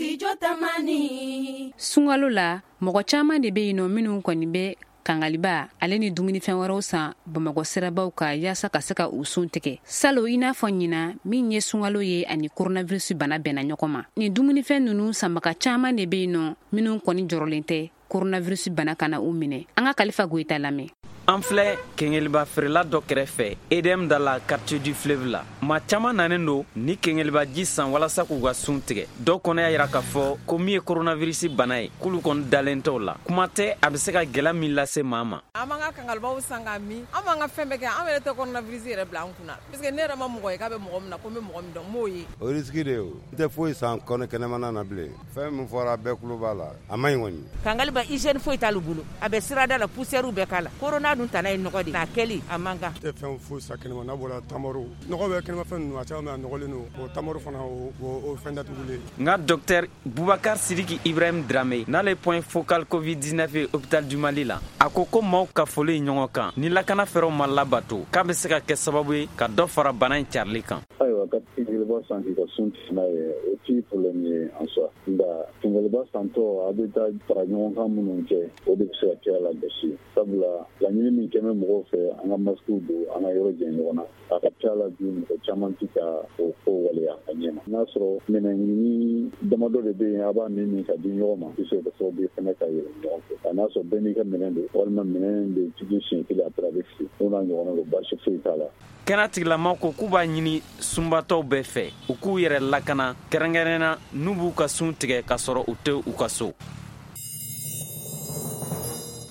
Studio Tamani. Sunkalo la, mɔgɔ caman de bɛ yen nɔ minnu kɔni bɛ kangaliba ale ni dumunifɛn wɛrɛw san Bamakɔ sirabaw kan yaasa ka se ka u sun tigɛ. Salon, i n'a fɔ ɲinan min ye sunkalo ye ani coronavirus bana bɛnna ɲɔgɔn ma, nin dumunifɛn ninnu sanbaga caman de bɛ yen nɔ minnu kɔni jɔrɔlen tɛ coronavirus bana kana u minɛ. An ka Kalifa Goyita lamɛn. An filɛ kengeliba feerela dɔ kɛrɛfɛ EDM da la, quartier du fleuve la. Maa caman nanen don ni kengeliba ji san walasa k'u ka sun tigɛ. Dɔw kɔnɔ y'a yira k'a fɔ ko min ye coronavirus bana ye, k'olu kɔni dalen t'o la. Kuma tɛ a bɛ se ka gwɛlɛ min lase maa ma. An b'an ka kangalibaw san k'a min, an b'an ka fɛn bɛɛ kɛ. An yɛrɛ tɛ coronavirus yɛrɛ bila an kunna, parce que ne yɛrɛ ma mɔgɔ ye k'a bɛ mɔgɔ min na, ko n bɛ mɔgɔ min dɔn, n m'o ye. O risque de ye o. N tɛ foyi san kɔnɔ kɛnɛmana na bilen. Fɛn min fɔra, bɛɛ tulo b'a la, a ma ɲi kɔni. Kangaliba, hygiène foyi t'ale bolo. A bɛ sirada la, poussière bɛɛ k'a la. Corona dun tana ye nɔgɔ de a kɛli a man kan. Tɛ fɛn foyi san kɛnɛma n'a bɔra tamaro. Nɔgɔ bɛ kɛnɛmafɛn ninnu, a caman bɛ, a nɔgɔlen don. O tamaro fana, o fɛn datugulen. Nka docteur Bubakar Sidiki Ibrahim Drame, n'ale point focal COVID-19 ye hôpital du Mali la, a ko ko maaw ka foli ɲɔgɔn kan ni lakana fɛɛrɛw ma labato, k'a bɛ se ka kɛ sababu ye ka dɔ fara bana in carili kan. Ayiwa, ka kengeliba san k'i ka sun tigɛ n'a ye, o ti problème ye en soi. Nka kengeliba santɔ, a bɛ taa fara ɲɔgɔn kan minnu kɛ, o de bɛ se ka kɛ a la gasi, sabula laɲini min kɛmɛ mɔgɔw fɛ, an ka masques don, an ka yɔrɔ jɛ ɲɔgɔn na, a ka ca la bi, mɔgɔ caman tɛ ka o ko waleya a ɲɛ ma. N'a sɔrɔ minɛn ɲini damadɔ de bɛ yen, a b'a min ka di ɲɔgɔn ma, bɛ se ka kɛ sababu ye fɛnɛ ka yɛlɛ ɲɔgɔn fɛ. A n'a sɔrɔ bɛɛ n'i ka minɛn don, walima minɛn bɛ jigi siɲɛ kelen, a bɛ fili, n'o n'a ɲɔgɔnna don, baasi foyi t'a la. Kɛnɛ tigilamaw ko k'u b'a ɲini sunbatɔw bɛɛ fɛ, u k'u yɛrɛ lakana, kɛrɛnkɛrɛnna n'u b'u ka sun tigɛ ka sɔrɔ u tɛ u ka so.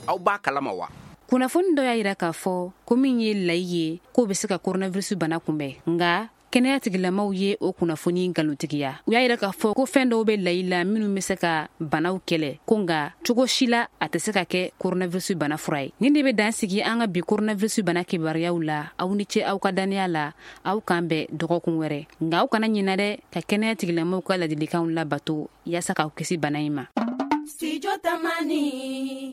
Aw b'a kalama wa? Kunnafoni dɔ y'a yira k'a fɔ ko min ye layi ye, k'o bɛ se ka coronavirus bana kunbɛn, nka kɛnɛya tigilamaw ye o kunnafoni nkalontigiya. U y'a yira k'a fɔ ko fɛn dɔw bɛ layi la minnu bɛ se ka banaw kɛlɛ, ko nka cogo si la a tɛ se ka kɛ coronavirus bana fura ye. Nin de bɛ dan sigi an ka bi coronavirus bana kibaruyaw la. Aw ni ce aw ka dannaya la. Aw k'an bɛn dɔgɔkun wɛrɛ, nka aw kana ɲinɛ dɛ ka kɛnɛya tigilamaw ka ladilikanw labato yaasa k'aw kisi bana in ma. Studio Tamani.